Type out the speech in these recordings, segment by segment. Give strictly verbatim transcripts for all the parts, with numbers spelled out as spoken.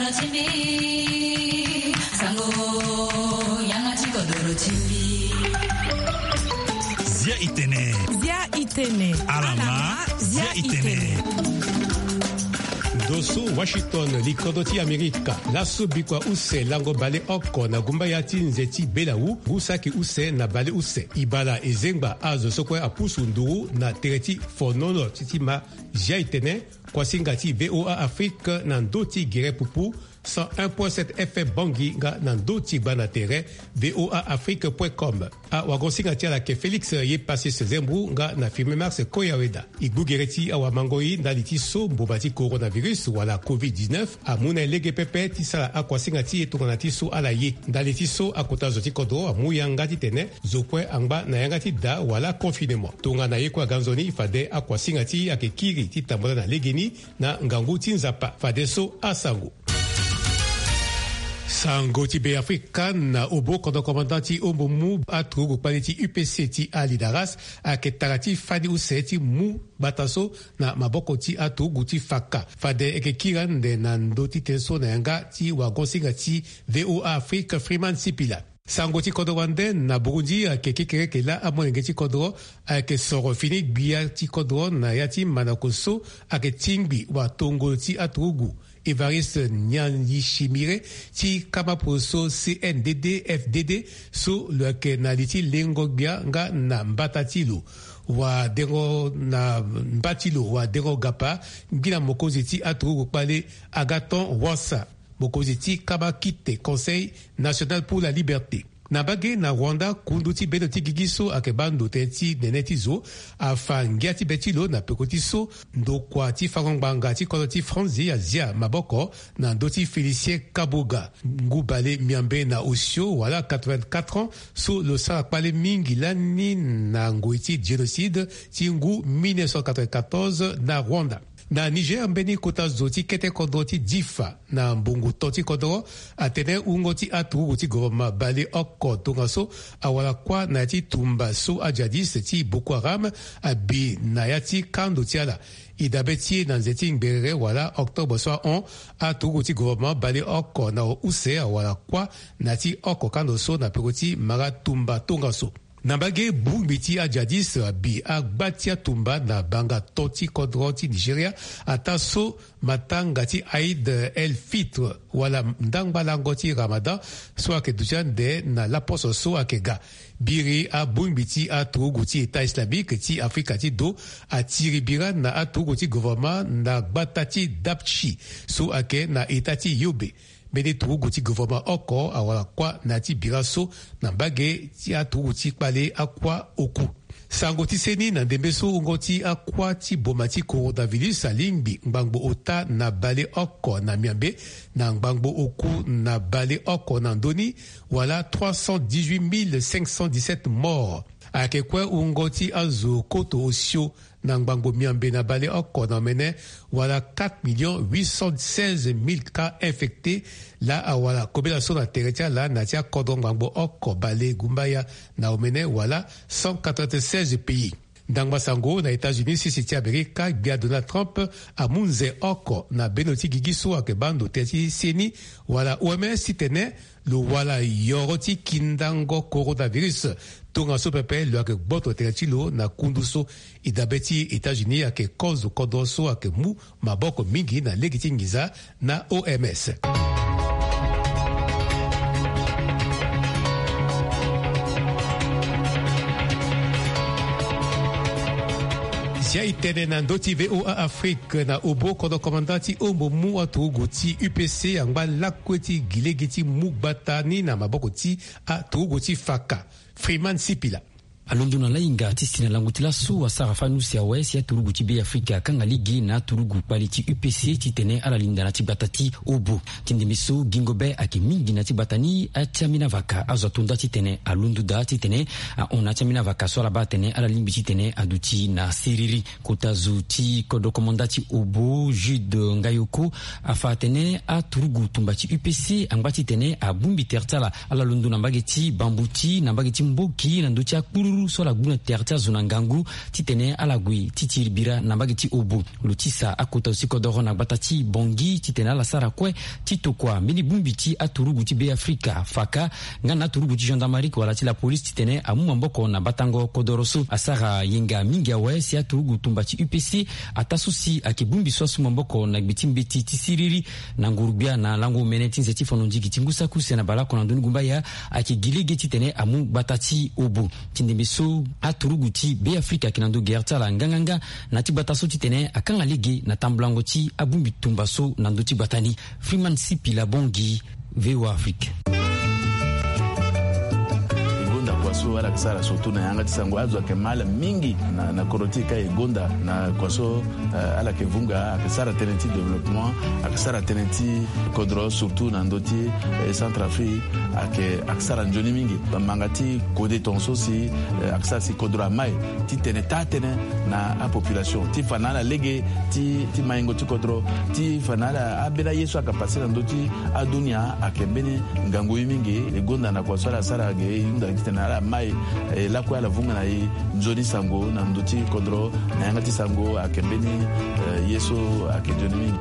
Zia itene. Zia itene. Alama. Zia itene. Ndo so Washington, likodo ti Amerika. Laso bikua use lango baleoko na gumbaya ti nze ti belawu, ngu saki use na baleuse. Ibala ezengba azo so kue apusu nduru na tere ti fonono ti ti ma. Zia itene. Kuasinga ti VOA Afrique na ndo ti gere pupu, cent un point sept F M Bangui nga na ndo ti gba na tere, VOA Afrique point com. Awagosinga ti ala ke Félix Yepasis Zembou nga na Firmin Mars Koyaweda. E gbu gere ti awamangoi ndali ti so mboma ti coronavirus wala covid dix-neuf amu na e lege pepe ti sara akuasinga ti e tongana ti so ala ye. Ndali ti so akota zo ti kodro amu yanga titene zo kue angba na yanga ti da wala confinement. Tongana ye kue aga nzoni, fade akuasinga ti e ayeke kiri ti tambula na legeni na ngangu ti Nzapa. Fadeso asango. Sango ti Beafrika. Na obo, kodro komanda ti ombo mu aturugu kpale ti U P C ti Ali Daras ayeke tara ti fani use ti mu gbata so na maboko ti aturugu ti Faka. Fade e yeke kiri ande na ndö ti tënë so na yanga ti wagosinga ti VOA Afrique, Freeman Sipila. Sango ti kodro wande. Na Burundi ayeke kekereke laa amolenge ti kodro ayeke soro fini gbia ti kodro na ya ti mandako so ayeke tingbi watongolo ti aturugu Évariste Ndayishimiye ti kama poroso C N D D F D D, so lo yeke na li ti lengo gbia nga na mbata ti lo. Wadengo na mba ti lo, wadengo gapa, ngbina mokonzi ti aturugu kpale Agathon Rwasa, mokonzi ti kama kite Conseil National pour la Liberté. Na mbage na Rwanda, kundu ti bendo ti gigi so ayeke baa ndo tënë ti nene ti zo afa ngia ti be ti lo na peko ti so ndokua ti fango ngbanga ti kodro ti Franzi azia maboko na ndö ti Félicien Kabuga, ngu bale miambe na osio wala quatre-vingt-quatre ans, so lo sara kpale mingi lani na ngoi ti génocide ti ngu mille neuf cent quatre-vingt-quatorze na Rwanda. Na Niger, mbeni kota zo ti kete kodro ti Difa na mbongo to ti kodro atene wungo ti aturugu ti gouvernement baleoko tongaso awara kuâ na ya ti tumba so ajihadiste ti Boko Haram abi na ya ti kando ti ala. E dabe ti e na nze ti ngberere wala octobre so ahon, aturugu ti gouvernement baleoko na use awara kuâ na ya ti oko kando so na peko ti mara tumba tongaso. Na mbage, bongbi ti ajihadiste abi agba ti atumba na banga to ti kodro ti Nigeria, ataa so matanga ti Aïd el Fitr wala ndangba lango ti Ramadan so ayeke duti ande na laposo so ayeke ga. Biri abongbi ti aturugu ti État islamique ti Afrika ti do atiri bira na aturugu ti gouvernement na gbata ti Dapchi so ayeke na État ti Yobe. Mbeni turugu ti gouvernement oko awara kuâ na ya ti bira so na mbage ti aturugu ti kpale akuâ oku. Sango ti seni na ndembe so, wungo ti akuâ ti boma ti coronavirus alingbi ngbangbo ota na baleoko na miambe, na ngbangbo oku na baleoko na ndö ni, wala trois cent dix-huit mille cinq cent dix-sept morts. Ayeke kue wungo ti azo koto osio na ngbangbo miambe na baleoko na omene, wala quatre millions huit cent seize mille cas infectés. Laa awara kobela so na tere ti ala na ya ti akodro ngbangbo oko bale gumbaya na omene, wala cent quatre-vingt-seize pays. Ndangba sango na États-Unis, sese ti Amerika, gbia Donald Trump amu nze oko na bendo ti gigi so ayeke baa ndo tënë ti seni wala O M S titene lo wala yoro ti kindango coronavirus. Tongaso pepe lo yeke gboto tere ti lo na kundu so. E dabe ti États-Unis ayeke kozo kodro so ayeke mu maboko mingi na lege ti nginza na O M S. Zia e tene na ndö ti VOA Afrique. Na obo, kodro komanda ti ombo mu aturugu ti U P C angba lakue ti gi lege ti mu gbata ni na maboko ti aturugu ti Faka. Freeman Sipila. Alondo na lahinga ti si na lango ti laso asara fani use awe si aturugu ti Beafrika akanga lege na aturugu kpale ti U P C titene ala linda na ti gbata ti obo. Ti ndembe so gingo be ayeke mingi na ti gbata ni, atiambena vaka azo ato nda titene alondo daa titene ahon na atiambena vaka so ala baa atene ala lingbi titene aduti na siriri. Kota zo ti kodro komanda ti obo, Jude Ngayoko, afa atene aturugu tumba ti U P C angba titene abongbi tere ti ala. Ala londo na mbage ti Bambuti, na mbage ti Mboki, na ndö ti akpululu So ala gbu na tere ti azo na ngangu titene ala gue ti tiri bira na mbage ti Obo. Lo tisa akota zo ti kodoro na gbata ti Bangui titene ala sara kue ti tokua mbeni bongbi ti aturugu ti Beafrika, faka, nga na aturugu ti gendarmerie wala ti lapolisi titene amu maboko na batango kodoro so. Asara yenga mingi awe si aturugu tumba ti U P C, ataa so si ayeke bongbi so asu maboko na gbe ti mbeti ti siriri na nguru-gbia na lango omene ti nze ti fono ndigi ti ngu saki use na baleoko na ndoni gumbaya, ayeke gi lege titene amu gbata ti Obo. Ti ndembe so, aturugu ti Beafrika ayeke na ndo gere ti ala nganganga na ti gbata so titene akanga lege na tambulango ti abongbi tumba so na ndö ti gbata ni. Freeman Sipila Bangui, V O A Afrique. E gonda kua so ala yeke sara surtout na yanga ti sango, azo ayeke mal mingi na, na kodro ti e ka e gonda na kua so, eh, ala yeke vunga, ayeke sara tënë ti développement, ayeke sara tënë ti kodro surtout na ndö ti, eh, Centrafrique, ayeke, ayeke sara nzoni mingi. Manga ti kode tongaso si, eh, ayeke sara si kodro amai titene taa tënë na apopulation ti fa na ala lege ti, ti maingo ti kodro, ti fa na ala ambeni aye so ayeke pase na ndö ti adunia ayeke mbeni ngangu ye mingi. E gonda na kua so ala sara ge, e hunda titene ala mai, eh, lakue ala vunga na e nzoni sango na ndö ti kodro na yanga ti sango ayeke mbeni, eh, ye so ayeke nzoni mingi.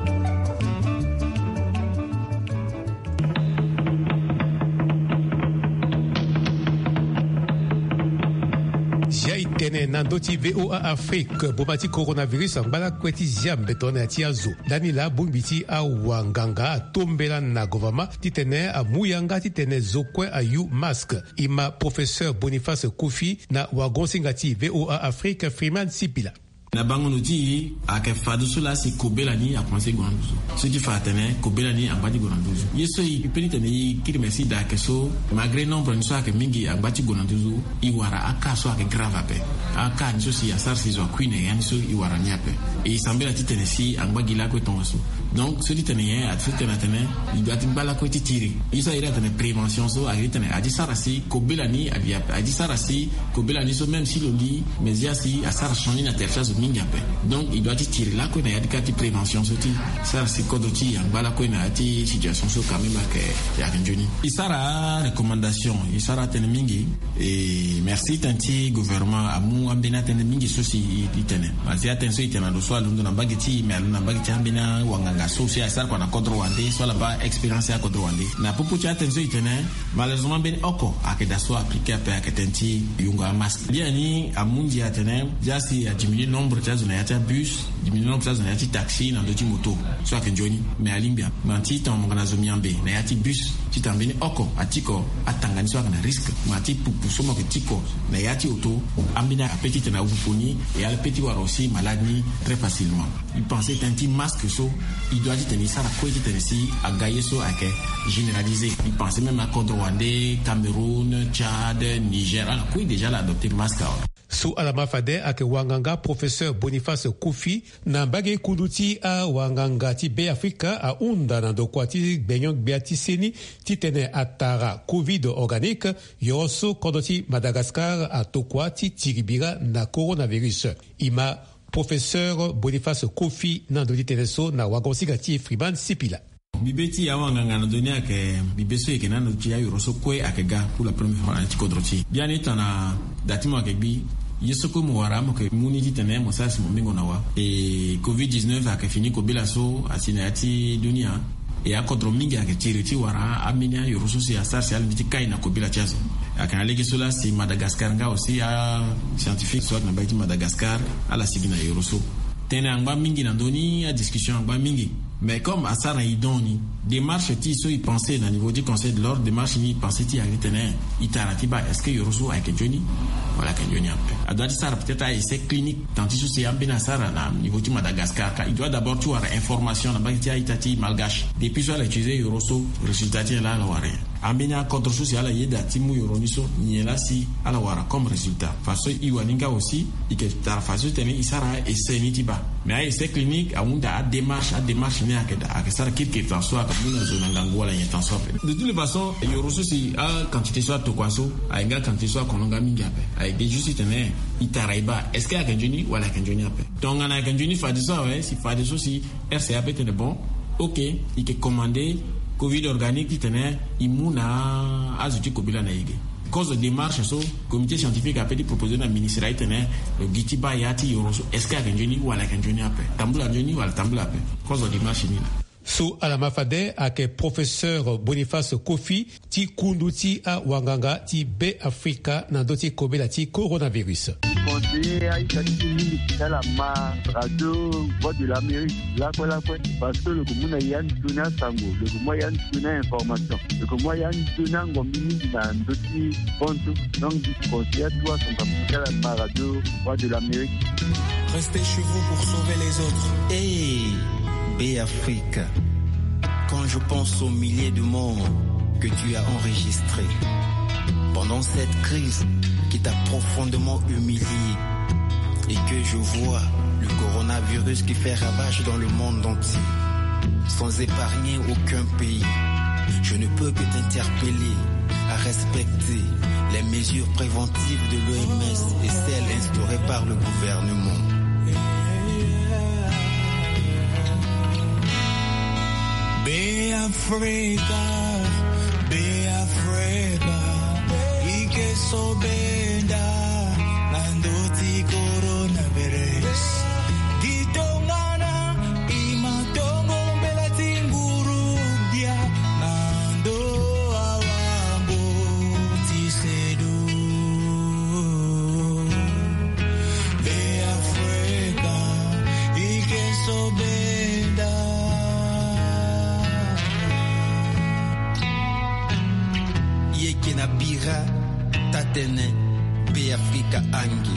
Zia e tene na ndö ti V O A Afrique, boma ti coronavirus angba lakue ti zia mbeto na ya ti azo. Ndani laa bongbi ti awanganga atombela na gouvernement titene amu yanga titene zo kue ayu masque. E ma professeur Boniface Kofi na wagon-singa ti V O A Afrique, Freeman Sipila. Na bango ndo ti e, ayeke fadeso laa si kobela ni akomanse gue na nduzu. So ti fa atene kobela ni angba ti gue na nduzu. Ye so e peut ti tene e kiri mesi daa ayeke so, malgré nombre ni so ayeke mingi angba ti gue na nduzu, e wara akaa so ayeke grave ape. Akaa ni so si asara si zo akui na e, ya ni so e wara ni ape. E sambela ti tene si angba gi lakue tongaso. Donc so ti tene nyen? Ati so ti tene atene e doit ti ngba lakue ti tiri. Ye so a iri atene prévention so, a iri tene a ti sara si kobela ni avi ape, a ti sara si kobela ni so, même si lo li, mais zia si asara changé na tere ti azo mingi ape. Donc e doit ti tiri lakue na ya ti ka ti prévention so ti sara si kodro ti e angba lakue na ya ti situation so quand même ayeke, ayeke nzoni. E sara recommandation, e sara tënë mingi. E merci tënë ti gouvernement amu ambeni atënë mingi so si e, e tene. Ma si atënë so e tene na lo so alondo na mbage ti e, me alondo na mbage ti ambeni awanganga so si asara kua na kodro wande, so ala baa expérience ya kodro wande. Na popo ti atënë so e tene, malheureusement mbeni oko ayeke daa so appliqué ape, ayeke tënë ti yungo amasque. Biani amu ndia atene zia si adiminué nombre ti azo na ya ti abus, diminué nombre ti azo na ya ti taxi na ndö ti moto. So ayeke nzoni, me alingbi ape. Ma ti tongana mo yeke na zo miambe na ya ti bus, ti tongana mbeni oko atiko atanga ni so ayeke na risque. Ma ti pupu so mo yeke tiko na ya ti oto, ambeni ape ti tene awu pupu ni, e ala pe ti wara aussi malade ni très facilement. E pense tënë ti masque so, e doit ti tene e sara kue ti tene si aga ye so ayeke généralisé. E pense même akodro wande, Cameroun, Tchad, Niger, ala kue déjà ala adopté masque awe. So ala ma fade ayeke wanganga professeur Boniface Kofi na mbage kundu ti awanganga ti Beafrika ahunda na ndokua ti gbenyo-gbia ti seni titene atara covid organique, yo so kodro ti Madagascar atokua ti tiri bira na coronavirus. E ma professeur Boniface Kofi na ndo ti tene so na wagon-singa ti Freeman Sipila. Bibe ti awanganga na ndö ni ayeke bibe so e yeke na ndo ti ayoro so kue ayeke ga pour la première fois na ya ti kodro ti e. Biani tongana da ti mo ayeke gbi, ye so kue mo wara mo yeke mu ni titene mo sara si mo mingo na wa. E covid dix-neuf ayeke fini kobela so asi na ya ti dunia. E akodro mingi ayeke tiri ti wara ambeni ayoro so si asara si ala lingbi ti kai na kobela ti azo. Ayeke na lege so laa si Madagascar nga aussi ascientifique so ayeke na mbage ti Madagascar ala sigi na yoro so. Tënë angba mingi na ndö ni, adiscussion angba mingi. Mais comme asara na e don ni, démarche ti e so e pense na niveau ti Conseil de l'Ordre, démarche ni e pense ti e ayeke tene e tara ti baa est-ce que yoro so ayeke nzoni wala ayeke nzoni ape. Adoit ti sara peut-être a-essai clinique, tant ti so si ambeni asara na niveau ti Madagascar, car e doit d'abord ti wara information na mbage ti a-ita ti malgache. Depuis so ala utiliser yoro so, résultat ti nyen laa ala wara nyen? Ambeni akodro so si ala yeda ti mu yoro ni so, nyen laa si ala wara comme résultat? Fadeso e wani nga aussi e yeke tara fadeso ti tene e sara a-essai ni ti baa. Mais a-essai clinique ahunda adémarche, adémarche ni ayeke daa, ayeke sara kirikiri tant so ayeke mu na zo na ngangu wala nyen tant so ape. De toutes les façons, yoro so si aquantité so atokua so ayeke nga quantité so akono nga mingi ape. Ayeke juste ti tene e tara e baa est-ce que ayeke nzoni wala ayeke nzoni ape. Tongana ayeke nzoni fadeso awe, si fadeso si R C A peut tene bon, ok, e yeke commandé covid organique ti tene e mu na azo ti kobela na e ge. Kozo démarche so comité scientifique ape ti proposé na ministre aye tene lo gi ti baa ya ti yoro so, est-ce que ayeke nzoni wala ayeke nzoni ape? Tambula nzoni wala tambula ape? Kozo démarche ni la. So ala ma fade ayeke professeur Boniface Kofi ti kundu ti awanganga ti Be Afrika na ndö ti kobela ti coronavirus. Conseiller aita ti mingi ti ala ma radio Voix de l'Amérique lakue lakue, parce que lo yeke mu na ya nzoni asango, lo yeke mu ya nzoni a-information, lo yeke mu ya nzoni angombi mingi na ndö ti bantu. Donc, conseiller atu asango ti ala ma radio Voix de l'Amérique. Restez chez vous pour sauver les autres. Hey, Be Afrique, quand je pense aux milliers de morts que tu as enregistrés pendant cette crise qui t'a profondément humilié et que je vois le coronavirus qui fait ravage dans le monde entier, sans épargner aucun pays, je ne peux que t'interpeller à respecter les mesures préventives de l'O M S et celles instaurées par le gouvernement. Be Afrika, Be Afrika, i ke so benda na ndö ti coronavirus. Gi tongana i ma tongo mbela ti nguru bia na ndö awango ti sedu. Be Afrika, i ke so benda. I yeke na bira taa-tënë Be Afrika ange.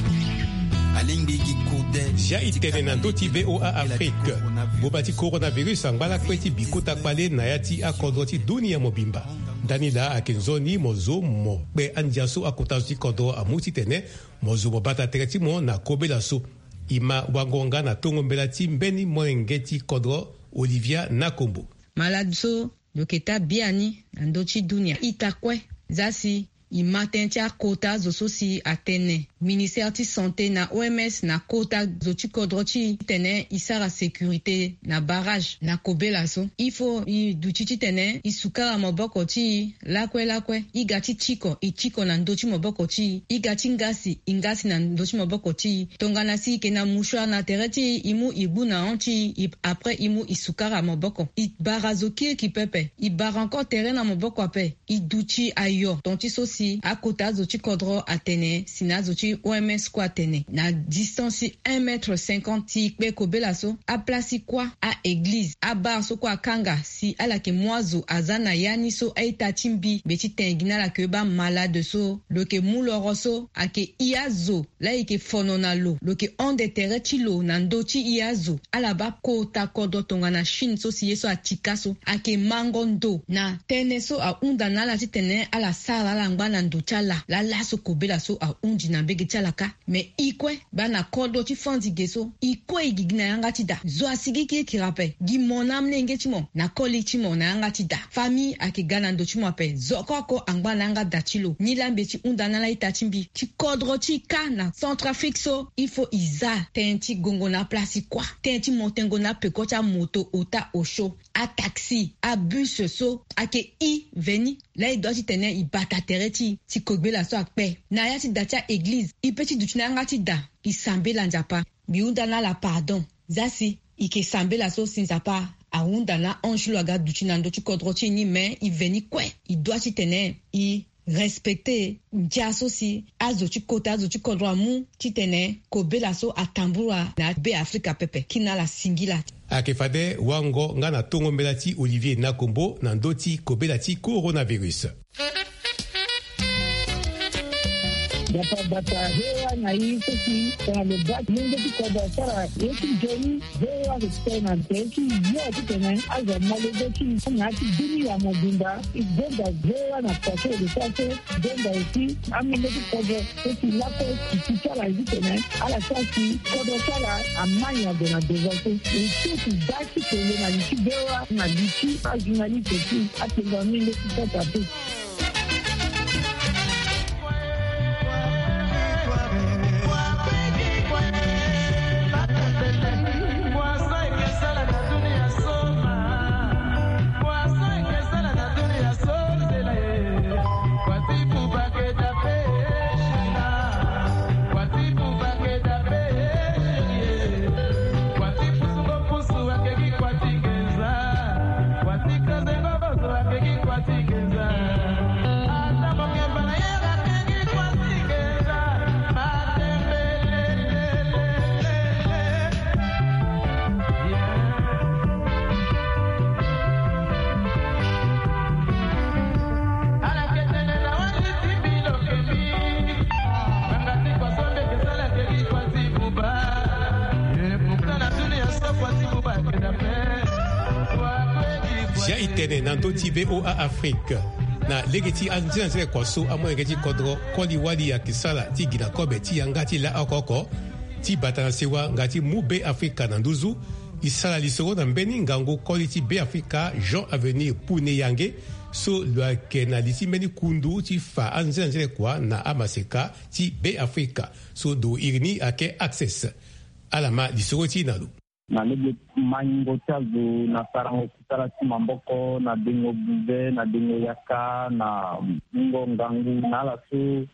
Alingbi gi kode. Zia e tene na ndö ti V O A Afrique. Ngboma ti coronavirus angba lakue ti bi kota kpale na ya ti akodro ti dunia mobimba. Ndani laa ayeke nzoni mo zo mo kpe andia so akota zo ti kodro amu titene mo zo mo bata tere ti mo na kobela so. E ma wango nga na tongo mbela ti mbeni molenge ti kodro, Olivia Nakombo. Malade so lo yeke taa biani na ndö ti dunia ita kue. Za si e ma tënë ti akota zo so si atene ministère ti santé na O M S na kota zo ti kodro ti e titene e sara sécurité na barrage na kobela so. Il faut e duti titene e sukara maboko ti e lakue lakue. E ga ti tiko, e tiko na ndö ti maboko ti e. E ga ti ngasi, e ngasi na ndö ti maboko ti e. Tongana si e yeke na mouchoir na tere ti e, e mu e gbu na hon ti e, e, après e mu e sukara maboko. E bara zo kirikiri pepe, e bara encore tere na maboko ape. E duti ayo ton ti so si akota azo ti kodro atene si na azo ti O M S kue atene na distance ti un mètre cinquante. Si e kpe kobela so, aplace ti kuâ, a-église, abar so kue akanga si ala yeke mu azo aza na ya ni so a-ita ti mbi, mbi ti tene gi na ala ke baa malade so lo yeke mu loro so ayeke i azo laa e yeke fono na lo, lo yeke hon de tere ti lo na ndö ti i azo. Ala baa kota kodro tongana Chine so si ye so atika so ayeke mango ndo na tënë so ahunda na ala titene ala sara ala ngba na ndo ti ala. Laa laso kobela so ahundi na mbege ti ala kâ. Me e kue baa na kodro ti fandi ge so, e kue e gigi na yanga ti da. Zo asigi kirikiri ape. Gi mo na amolenge ti mo na koli ti mo na yanga ti da. Famille ayeke ga na ndo ti mo ape. Zo oko oko angba na yanga da ti lo. Nilaa mbi ye ti hunda na ala ita ti mbi ti kodro ti e kâ na Centrafrique so, il faut e za tënë ti gongo na aplace ti kuâ, tënë ti mo tengo na apeko ti amoto, ota, osio, ataxi, abus so ayeke e veni. Laa e dua titene e bata tere ti e ti kobela so akpe. Na ya ti da ti a-église, e pe ti duti na yanga ti da, e sambela Nzapa. Mbi hunda na ala pardon. Za si e yeke sambela so si Nzapa ahunda na ange ti lo aga duti na ndö ti kodro ti e ni, me e veni kue. E dua titene e respecte ndia so si azo ti kota azo ti kodro amu titene kobela so atambula na Be Afrika pepe. Kina ala singila. Ayeke fade wango nga na tongo mbela ti Olivier Nakombo na ndö ti kobela ti coronavirus. Nzapa abata V O A na e so si tongana lo baa molenge ti kodro asara ye ti nzoni, V O A ayeke tene na tere ti yo titene azo amolenge ti e na ya ti dunia mobimba. E benda V O A na poto lo sara so, benda aussi amolenge ti kodro so si lakue ti ti ala ye titene ala sara si kodro ti ala ama nyango na devant so. E so si baa ti kele na li ti V O A na li ti ajournaliste ti atengo amolenge ti Centrafrique. Zia e tene na ndö ti VOA Afrique. Na lege ti anzenanzene kua so amolenge ti kodro koli-wali ayeke sara ti gi na kobe ti yanga ti la oko oko ti bata na sewa nga ti mu Be Afrika na nduzu, e sara lisoro na mbeni ngangu koli ti Be Afrika, Jean Avenir Pouneyange, so lo yeke na li ti mbeni kundu ti fa anzenanzene kua na amaseka ti Be Afrika, so ndo iri ni ayeke Access. Ala ma lisoro ti e na lo. Na lege maingo ti azo na sarango kusala ti maboko, na dengo buze, na dengo yaka, na mungo ngangu na ala so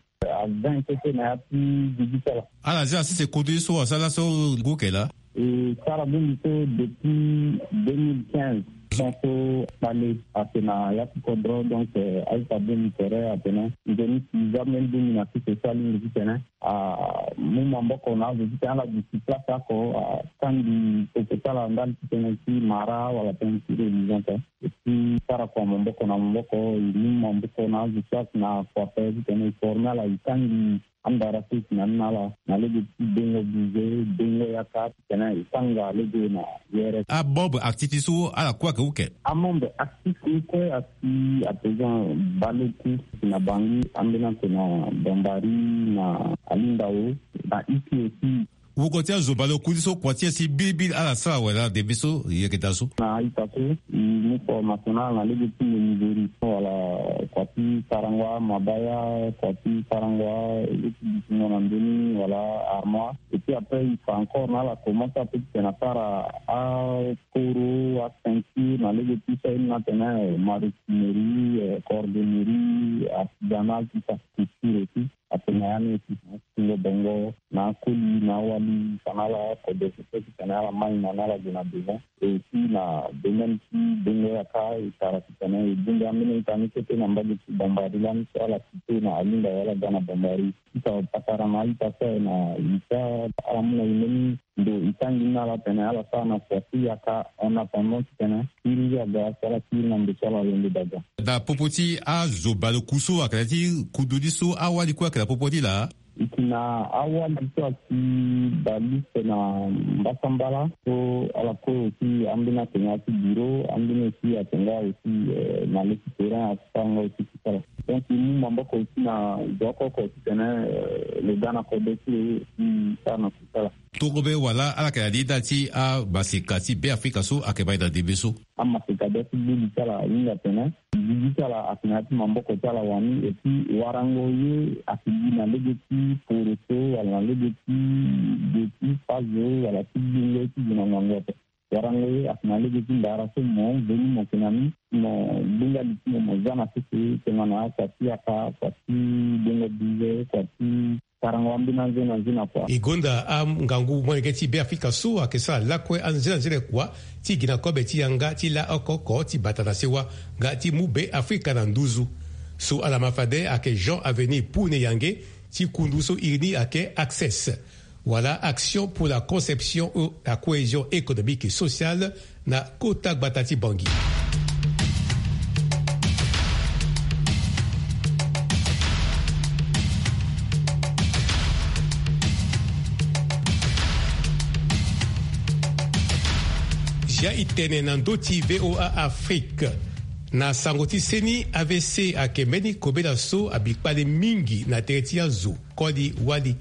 avin kete na ya ti gigi ti ala. Ala zia sese kodro ye so asara so ngu ke laa? E sara bongbi so depuis deux mille quinze. Donc so kpale ake na ya ti kodro, donc, euh, aita bongbi tere atene nzoni si za mbeni bongbi na sese so alingbi titene amu maboko na azo titene ala duti place oko, atangi oko ti ala ndali titene ti mara wala tënë ti religion te. E ti sara kua maboko na maboko, e mu maboko na azo so ake na kua pe titene e forme ala, e tangi andara so e si na ni na ala na lege ti dengo buze, dengo yaka, titene e tanga lege na yere. Amembre actif ti so ala kue ake uke? Amembre actif ni kue asi à présent baleku na Bangui, ambeni ake na Bambari, na Alindao, na Iki aussi. Wungo ti azo baleku ni so kua ti e si bilibili ala sara wala debe so e yeke daa so? Na a-ita so e mu formation na ala na lege ti menuiserie wala kua ti sarango amabaya, kua ti sarango alege ti dutingo na ndö ni wala armoire. Et puis après e fa encore na ala comment ça peut titene asara akoro, aceinture na lege ti so aye ni atene maroquinerie, euh, cordonnerie, artisanal, tout ça, couture aussi. Atene na ya ni aussi na atingo bongo na akoli na awali fa na ala kode so titene ala mai na ni ala gue na devant. Et aussi na domaine ti dengo yaka e sara titene e bongbi ambeni ita ni kete na mbage ti Bambari lani so ala site na Alindao wala ga na Bambari. Ti fa patara na a-ita so aye na ita ala mu na e mbeni ndo e tangi ni na ala tene ala sara na kua ti yaka en attendant titene kiri aga so ala kiri na ndo so ala londo daga. Na popo ti azo baleku so ayeke na ya ti kundu ni so awali kue ayeke na popo ni laa? E si na awali so asi baleku na mbasambala so ala kue aussi ambeni atene ya ti bureau, ambeni aussi atene nga aussi, euh, na le ti terrain asara nga aussi kusala. Donc e mu maboko aussi na zo oko oko titene, euh, lo ga na kode ti lo aussi sara na kusala. Torobe wala ala yeke na li nda ti amaseka ti Be Afrika so ayeke mai na ndembe so? Amaseka be ti gbu li ti ala ahinga tene gigi ti ala ayeke na ya ti maboko ti ala wani, et puis warango ye ayeke gi na lege ti poroso wala na lege ti ge ti fazo wala ti gbingo ti gi na ngangu ape. Warango ye ayeke na lege ti ndara so mo veni mo yeke na ni, mo gbinga li ti mo, mo za na sese tongana kua ti yaka, kua ti gbingo bize, kua ti sarango ambeni anze na nze na kua. E gonda angangu molenge ti Be Afrika so ayeke sara lakue anzenanzene kua ti gi na kobe ti yanga ti la oko oko ti bata na sewa nga ti mu Be Afrika na nduzu. So ala ma fade ayeke Jean Avenir Pouneyange ti kundu so iri ni ayeke Access, wala Action pour la conception et la cohésion économique et sociale, na kota gbata ti Bangui. Zia e tene na ndö ti VOA Afrique. Na sango ti seni, A V C ayeke mbeni kobela so abi kpale mingi na tere ti azo koli wali.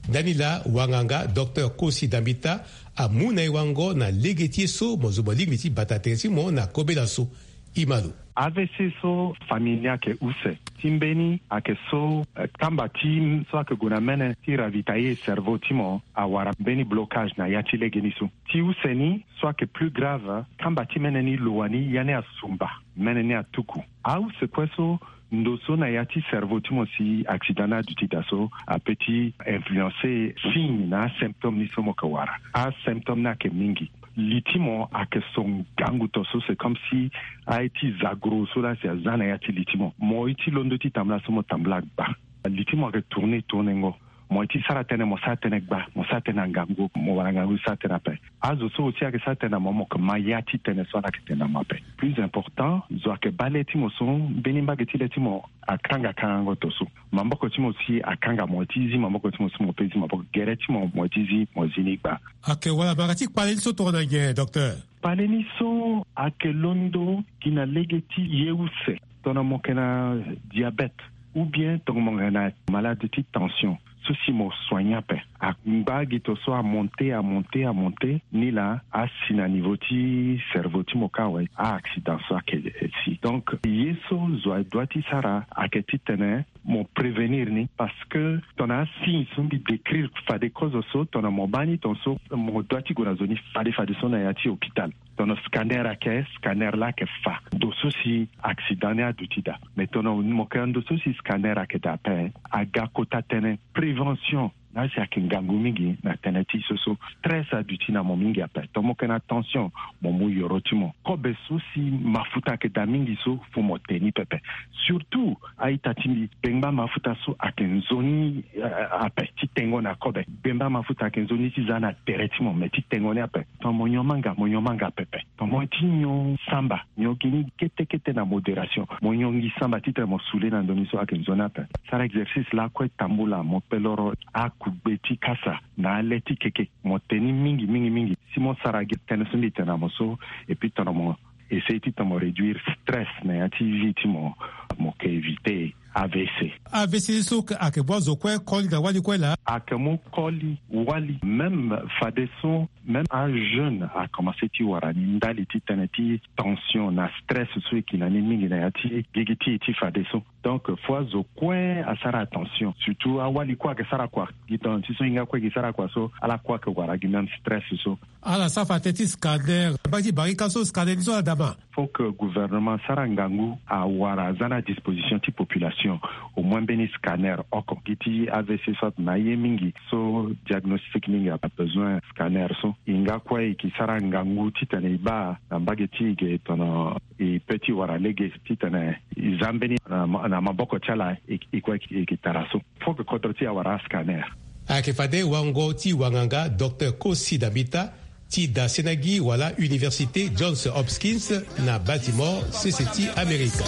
Ndani laa wanganga Docteur Kosi Dambita amu na e wango na lege ti e so mo zo mo lingbi ti bata tere ti mo na kobela so. E ma lo. A V C so famille ni ayeke use. Ti mbeni ayeke so, eh, kamba ti so ayeke gue na mene ti ravitailler cerveau ti mo awara mbeni blocage na ya ti legeni so. Ti use ni so ayeke plus grave, kamba ti mene ni lo wani ya ni asumba, mene ni atuku. Ause kue so ndo so na ya ti cerveau ti mo si accident ni aduti daa so ape ti influencer signe na asymptôme ni so mo yeke wara. Asymptôme ni ayeke mingi. Li ti mo ayeke so ngangu to so, c'est comme si aye ti zagro so laa si aza na ya ti li ti mo. Mo ye ti londo ti tambula so mo tambula gba. Li ti mo ayeke tourner tourner ngo. Mo ye ti sara tënë, mo sara tënë gba, mo sara tënë na ngangu, mo wara ngangu sara tënë ape. Azo so aussi ayeke sara tënë na mo, mo yeke ma ya ti tënë so ala yeke tene na mo ape. Plus important, zo ayeke baa le ti mo so mbeni mbage ti le ti mo akanga kangango to so. Maboko ti mo si akanga, mo ye ti zi maboko ti mo so mo pe zi maboko, gere ti mo mo ye ti zi, mo zi ni gba. Ayeke wala mara ti kpale ni so tongana nyen, docteur? Kpale ni so Ayeke londo gi na lege ti ye use, tongana mo yeke na diabète, ou bien tongana mo yeke na malade ti tension, so si mo soigner ape. Angba gi to so amonte, amonte, amonte, ni laa asi na niveau ti cerveau ti mo kâ awe, a-accident so ayeke si. Donc ye so zo adoit ti sara ayeke titene mo prévenir ni, parce que tongana asigne so mbi décrire fade kozo so, tongana mo baa ni, tongaso mo doit ti gue na zo ni fade fade so na ya ti hôpital. Tongana scanner ayeke, scanner laa ayeke fa ndo so si accident ni aduti daa. Mais tongana mo yeke na ndo so si scanner ayeke daa ape, aga kota tënë prévention. Laa si ayeke ngangu mingi na tënë ti so so stress aduti na mo mingi ape. Tongana mo yeke na tension, mo mu yoro ti mo. Kobe so si mafuta ayeke daa mingi so, fo mo te ni pepe. Surtout a-ita ti mbi, bengba mafuta so ayeke nzoni, eh, ape ti tengo na kobe. Bengba mafuta ayeke nzoni ti za na tere ti mo, me ti tengo ni ape. Tongana mo nyon manga, mo nyon manga pepe. Tongana mo ti nyon samba, nyon gi ni kete kete na modération. Mo nyon gi samba titene mo sule na ndoni so ayeke nzoni ape. Sara exercice lakue tambula, mo pe loro akugbe ti kasa na ale ti keke. Mo te ni mingi, mingi, mingi. Si mo sara gi tënë so mbi tene na mo so, et puis tongana mo essayer titene mo réduire stress na ya ti vie ti mo, mo yeke éviter A V C. A V C so ayeke mu azo kue koli na wali kue laa? Ayeke mu koli wali, même fadeso, même ajeune akomanse ti wara ni ndali ti tënë ti tension na stress so e ki na ni mingi na ya ti gigi ti e ti fadeso. Donc fo azo kue asara attention, surtout awali kue ayeke sara kua. Gi tongana ti so hinga kue e ke sara kua so, ala kue ayeke wara gi même stress so. Ala sara fa tënë ti scanner, baa ti barika so scanner ni so ala daa ma. Faut que gouvernement asara ngangu awara aza na disposition ti population au moins mbeni scanner oko. Gi ti A V C so atene aye mingi, so diagnostic mingi abezoin scanner so. E hinga kue e ke sara ngangu titene e baa na mbage ti e ge tongana e pe ti wara lege titene e za mbeni na ma-, na maboko ti ala, e, e kue e ke tara so. Faut que kodro ti e awara ascanner. Ayeke fade wango ti wanganga Docteur Kosi Dambita ti dasena gi wala Université Johns Hopkins na Baltimore, sese ti Amerika.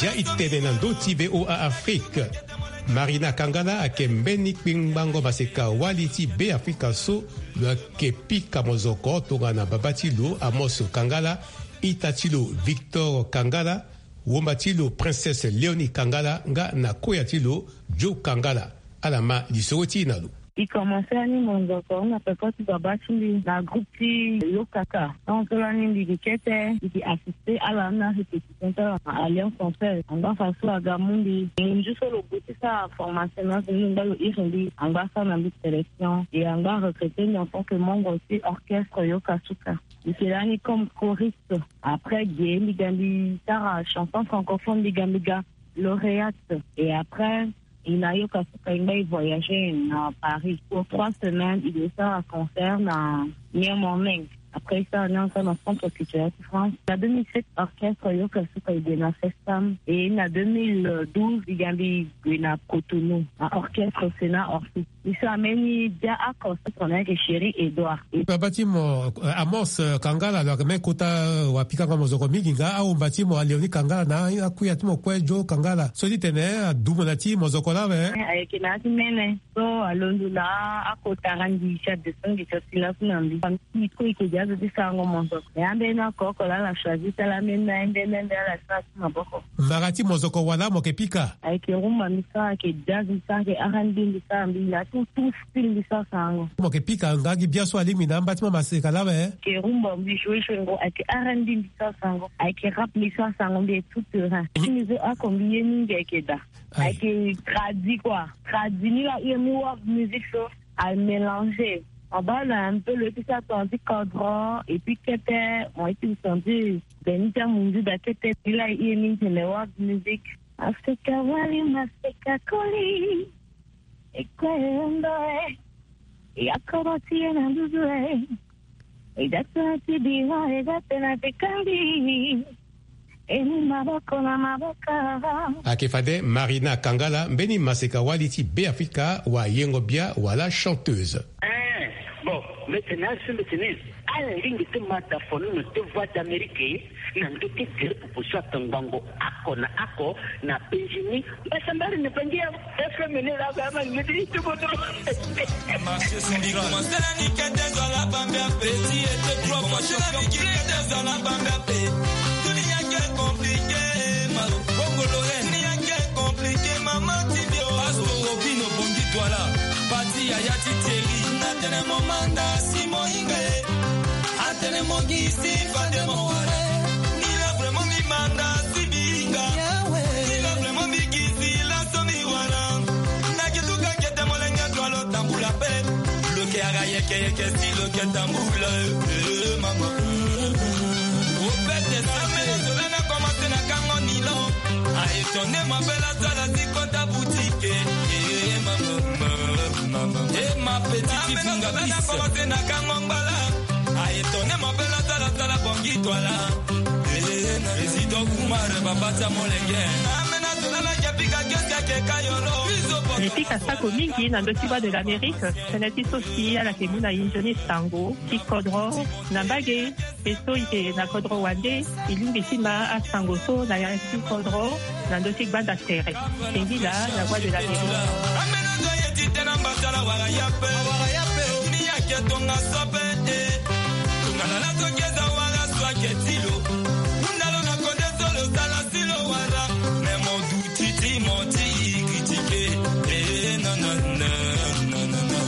Zia e tene na ndö ti V O A Afrique. Marina Kangala ayeke mbeni kpingbango maseka wali ti Beafrika so lo yeke pika mozoko tongana babâ ti lo Amos Kangala, ita ti lo Victor Kangala, wumba ti lo Princesse Léonie Kangala nga na koya ti lo Joe Kangala. Ala ma lisoro ti e na lo. E komanse lani monzoko na peko ti babâ ti mbi na groupe ti Yokaka. Tant so lani mbi gi kete, mbi gi assister ala na répétition ti ala na Alliance Française. Angba fa so aga mu mbi, monzu so lo gue ti sara formation na azo ni, angba lo iri mbi, angba asara na mbi sélection. Et angba arecruter mbi en tant que membre ti orchestre Yokasuka. Mbi yeke lani comme choriste. Après ge mbi ga mbi sara chanson francophone, mbi ga mbi ga lauréate. Et après, e na Yokasuka e ngba e voyager na Paris. Pour trois semaines, e ke sara concert na New Morning. Après, e sara ni encore na Centre Culturel de France. Na deux mille sept, orchestre Yokasuka e gue na Festam. Et na deux mille douze, e ga mbi gue na Cotonou, na orchestre Sénat Orpheus. E sara mbeni bia oko so tongana ayeke Chéri Edouard. Babâ ti mo, eh, Amos, eh, Kangala, lo yeke même kota, eh, wapikango mozoko mingi nga. Awumba ti mo Léonie Kangala na akuya ti mo kue Joe Kangala, so ti tene, eh, adumu na ti mozoko laa awe. Eh, ayeke na ya ti mene. So alondo laa akota randi ti adeso ngi ti asi laso na mbi. Famille ti e kue e ke gi azo ti sarango mozoko. E ambeni oko oko laa ala choisir ti ala ambeni na ye, mbeni mbeni ala sara ti maboko. Mbara ti mozoko wala mo yeke pika? Ayeke rumba mbi sara, ayeke jazz mbi sara, ayeke R and B mbi sara, mbi na tout, tout style mbi sara sarango. Mo yeke pika nga gi bia so alingbi na amba ti mo maseka laa awe? Ayeke rumba mbi joue joue ngo, ayeke R and B mbi sara sarango, ayeke rap mbi sara sarango, mbi est tout terrain. Ti mbi zo oko mbi ye mingi ayeke daa. Aye. Ayeke tradi quoi. Tradi ni laa e mu world music so. A mélanger. Mo baa lo un peu lo ye ti sara tongana ti kodro, et puis kete mo ye ti sentir mbeni ti amonzu daa kete. Ni laa e ye mingi tene world music. Maseka wali, maseka koli. E kue e hunda e. E akoro ti e na nduzu e. E da tënë ti bira, e da tënë ti kandi. Eni maboko na maboko. Ayeke fade Marina Kangala, mbeni maseka-wali ti Beafrika, wayengo-bia wala chanteuse. Eh, bon, mbeti na asu mbeti ni. Ala lingbi ti ma da fono na ti Voix d'Amérique na ndö ti tere popo so atongbango oko na oko na Benjini. Mbasambari na Bangi ya F M ni la ba man midi tubo tubo. Marché central. Commencé la nique des ala bambé petit et trois fois champion. Nique des ala bambé petit. Tout le monde est compliqué. Bongo Lorraine. Compliqué, maman Tibio. Pastor Robino Bongi Douala. Pati Yaya ti Thierry. Na tene momanda si moinga. Atene mongi si fade mo wala. Ni la vraiment mi manda si binga. Ni la vraiment mi gizi la so mi wala. Na ki tuka kete molenge dua lo tambula pe. Lo ke ara yeke yeke si lo ke tambula. Eh, mama. Opete sa mene zola na commencé na kango nilo. A étonné ma belle azala si kota boutique. Eh, ma, ma, ma, ma, ma. Eh, ma petite Amena zola na commencé na kango ngbala. A étonné ma belle azala zala bongi twala. Eh, na président Oumar Babata Molenge. Amena zola na Japika Kesia ke kayolo. Bizo Ripika sako mingi na ndö ti Voix de l'Amérique. Tënë ti so si ala yeke mu na e nzoni sango ti kodro na mbage. E so e yeke na kodro wande, e lingbi ti ma asango so na ya ti kodro na ndö ti gbanda tere. Singila na Voix de l'Amérique. Ambeni azo aye ti tene ambasala wara ya pe. Ni ayeke tongaso ape te. Tongana laso keza wara so ayeke ti lo. Hunda lo na kode so lo sala si lo wara. Me mo du Titi menti, critiquer. Eh, non, non, non, non, non, non.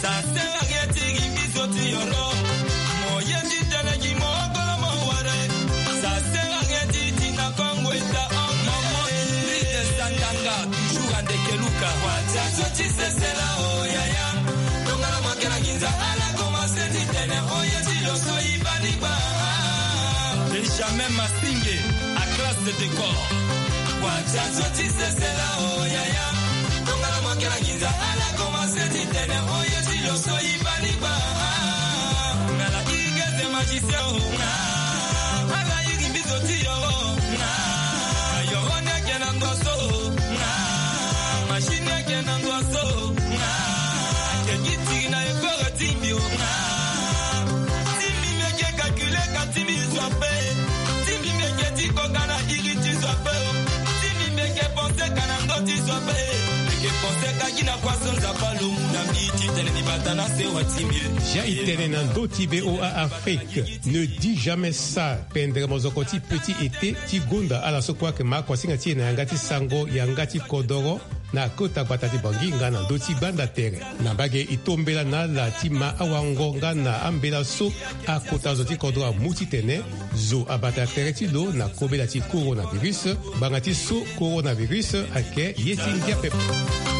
Ça sert à rien, ti gi biso ti yoro. Mo ye ti tene gi mo kolo mo ware. Ça sert à rien, ti ti na Congo eta en maman Ingrid Santanga, toujours à Ndekeluka. Watia so ti sesela, oh, yaya. Tongana mo kena nginza, ala commencé ti tene, oh, ye ti lo so i bani ba. Benjamin Masinge, à classe de décor. Watia so ti sesela, oh, yaya. Tongana mo kena nginza, ala commencé ti tene, oh, ye ti lo so i bani ba. Ngala igeze magicien, oh, nga. Ala iri biso ti yoro, oh, nga. Yoro ni ayeke na ngua so, oh, nga. Machine ni ayeke na ngua so, oh, nga. Ayeke gi tiri na ekoro ti mbi, oh, nga. Ti mbi mbi yeke calculer ka ti mbi zo ape. Ti mbi mbi yeke ti koka na iri ti zo ape. Ti mbi mbi yeke penser ka na ndö ti zo ape. Mbi yeke penser ka gi na kua so Nzapa lo mu na mbi ti tene mbi bata na sewa ti mbi. Ja e tene na ndö ti V O A Afrique. Ne dis jamais ça. Pendre mozoko ti petit été ti gonda ala so kue ayeke ma akuasinga ti e na yanga ti sango, yanga ti kodoro. Na kota gbata ti Bangui nga na ndö ti gbanda tere. Na mbage e tombela na ala ti ma awango nga na ambela so akota zo ti kodro amu titene zo abata tere ti lo na kobela ti coronavirus. Ngbanga ti so coronavirus ayeke ye ti ngia pepe.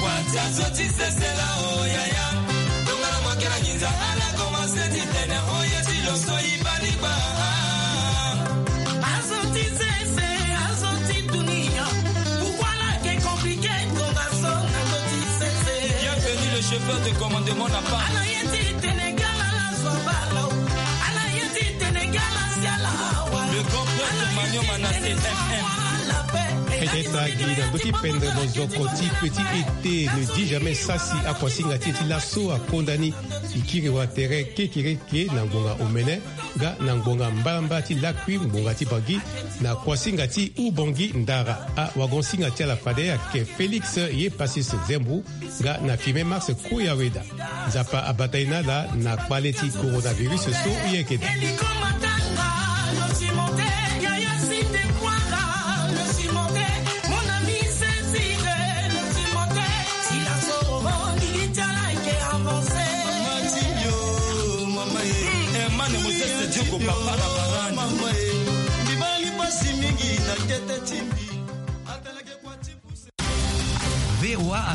Watia zo ti sesela, oh, yaya. Tongana mo yeke na nginza, ala komanse ti tene, oh, ye ti lo so e bani gba. Azo ti sese, azo ti dunia. Pourquoi la ke compliqué, tongaso na zo ti sese. Bienvenue, le chauffeur de commandement n'a pas. Ala ye ti tene gala la zo balo. Ala ye ti tene gala siala awa. Le grand prêtre Magnon Manassé, M M. Fete ta gi na ndö ti pendre mozoko ti petit été, ne dis jamais ça, si akuasinga ti e ti laso akonda ni. E kiri wa tere kekereke na ngbonga omene nga na ngbonga mbalambala ti lakui ngbonga ti Bangui na kuasinga ti Oubangui Ndara. Awagonsinga ti ala fade ayeke Félix Yepasis Zembrou nga na Firmin Mars Koyaweda. Nzapa abata e na ala na kpale ti coronavirus so e yeke daa. V O A Afrique.